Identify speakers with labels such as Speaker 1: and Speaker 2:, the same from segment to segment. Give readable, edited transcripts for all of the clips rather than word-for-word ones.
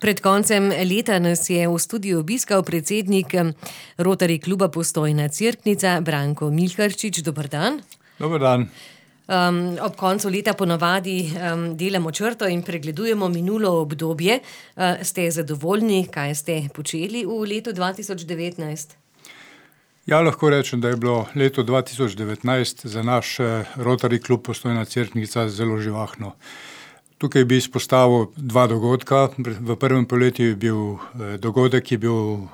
Speaker 1: Pred koncem leta nas je v studiu obiskal predsednik Rotary kluba Postojna Cerknica, Branko Milharčič. Dober dan.
Speaker 2: Dober dan.
Speaker 1: Ob koncu leta ponavadi delamo črto in pregledujemo minulo obdobje. Ste zadovoljni, kaj ste počeli v letu 2019?
Speaker 2: Ja, lahko rečem, da je bilo leto 2019 za naš Rotary klub Postojna Cerknica zelo živahno. Tukaj bi izpostavil dva dogodka. V prvem polletju je bil dogodek, ki je bil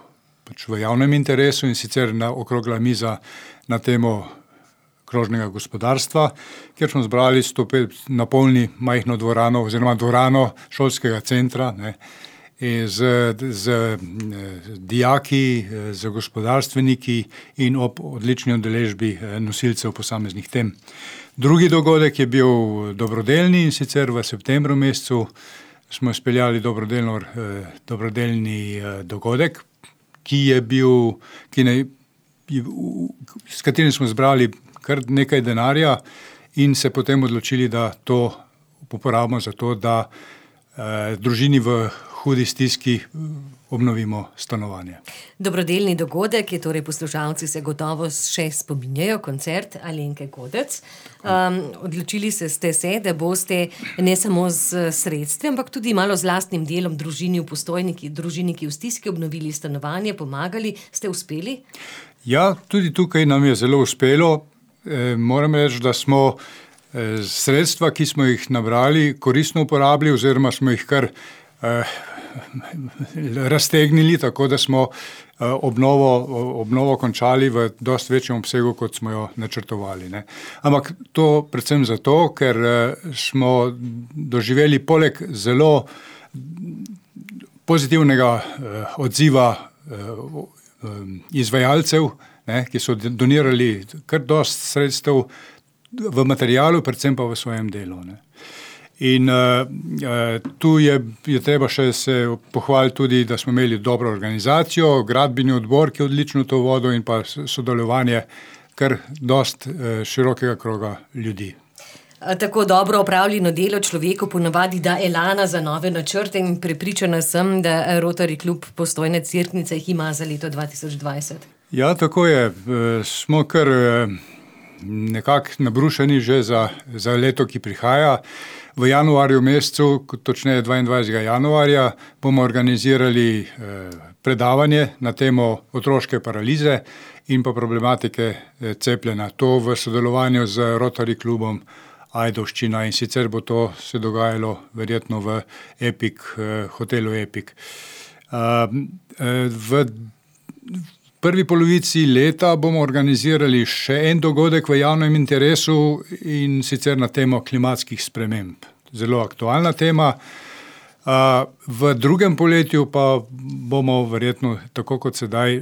Speaker 2: v javnem interesu, in sicer okrogla miza na temo krožnega gospodarstva, kjer smo zbrali 105 napolni majhno dvorano oziroma dvorano šolskega centra, z dijaki, z gospodarstveniki in ob odlični udeležbi nosilcev posameznih tem. Drugi dogodek je bil dobrodelni, in sicer v septembru mesecu smo izpeljali dobrodelni dogodek, s katerim smo zbrali kar nekaj denarja in se potem odločili, da to uporabimo za to, da družini v hudi stiski obnovimo stanovanje.
Speaker 1: Dobrodelni dogodek je, torej poslušalci se gotovo še spominjajo, koncert Alenke Godec. Odločili ste se, da boste ne samo z sredstvi, ampak tudi malo z lastnim delom družini v družini v stiski obnovili stanovanje, pomagali. Ste uspeli?
Speaker 2: Ja, tudi tukaj nam je zelo uspelo. Moram reči, da smo sredstva, ki smo jih nabrali, koristno uporabili oziroma smo jih kar raztegnili, tako da smo obnovo končali v dosti večjem obsegu, kot smo jo načrtovali. Ampak to predvsem zato, ker smo doživeli poleg zelo pozitivnega odziva izvajalcev, ki so donirali kar dosti sredstev v materialu, predvsem pa v svojem delu. In tu je treba še se pohvaliti tudi, da smo imeli dobro organizacijo, gradbeni odbor, ki je odlično to vodil, in pa sodelovanje kar dosti širokega kroga ljudi.
Speaker 1: Tako dobro opravljeno delo človeku ponavadi da elana za nove načrte in prepričana sem, da Rotary klub Postojna Cerknica jih ima za leto 2020.
Speaker 2: Ja, tako je. Smo kar nekako nabrušeni že za leto, ki prihaja. V januarju mesecu, točneje 22. januarja, bomo organizirali predavanje na temo otroške paralize in pa problematike cepljenja. To v sodelovanju z Rotary klubom Ajdovščina, in sicer bo to se dogajalo verjetno v hotelu Epic. V prvi polovici leta bomo organizirali še en dogodek v javnem interesu, in sicer na temo klimatskih sprememb. Zelo aktualna tema. V drugem polletju pa bomo verjetno, tako kot sedaj,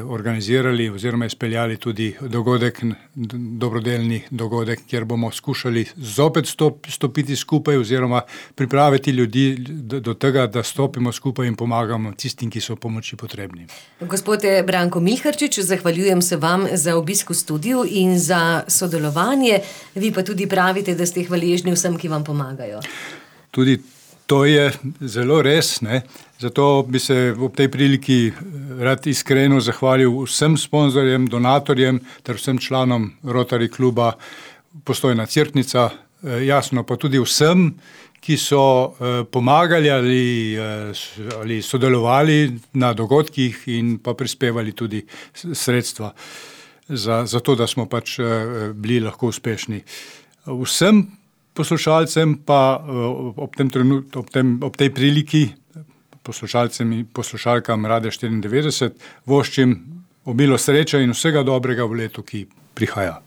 Speaker 2: organizirali oziroma izpeljali tudi dobrodelni dogodek, kjer bomo skušali zopet stopiti skupaj oziroma pripraviti ljudi do tega, da stopimo skupaj in pomagamo tistim, ki so pomoči potrebni.
Speaker 1: Gospod Branko Milharčič, zahvaljujem se vam za obisk v studiu in za sodelovanje. Vi pa tudi pravite, da ste hvaležni vsem, ki vam pomagajo.
Speaker 2: Tudi to je zelo res, Zato bi se ob tej priliki rad iskreno zahvalil vsem sponzorjem, donatorjem ter vsem članom Rotary kluba Postojna Cerknica, jasno pa tudi vsem, ki so pomagali ali sodelovali na dogodkih in pa prispevali tudi sredstva za to, da smo bili lahko uspešni. Vsem poslušalcem pa ob tej priliki, poslušalcem in poslušalkam Radia 94, voščim obilo sreče in vsega dobrega v letu, ki prihaja.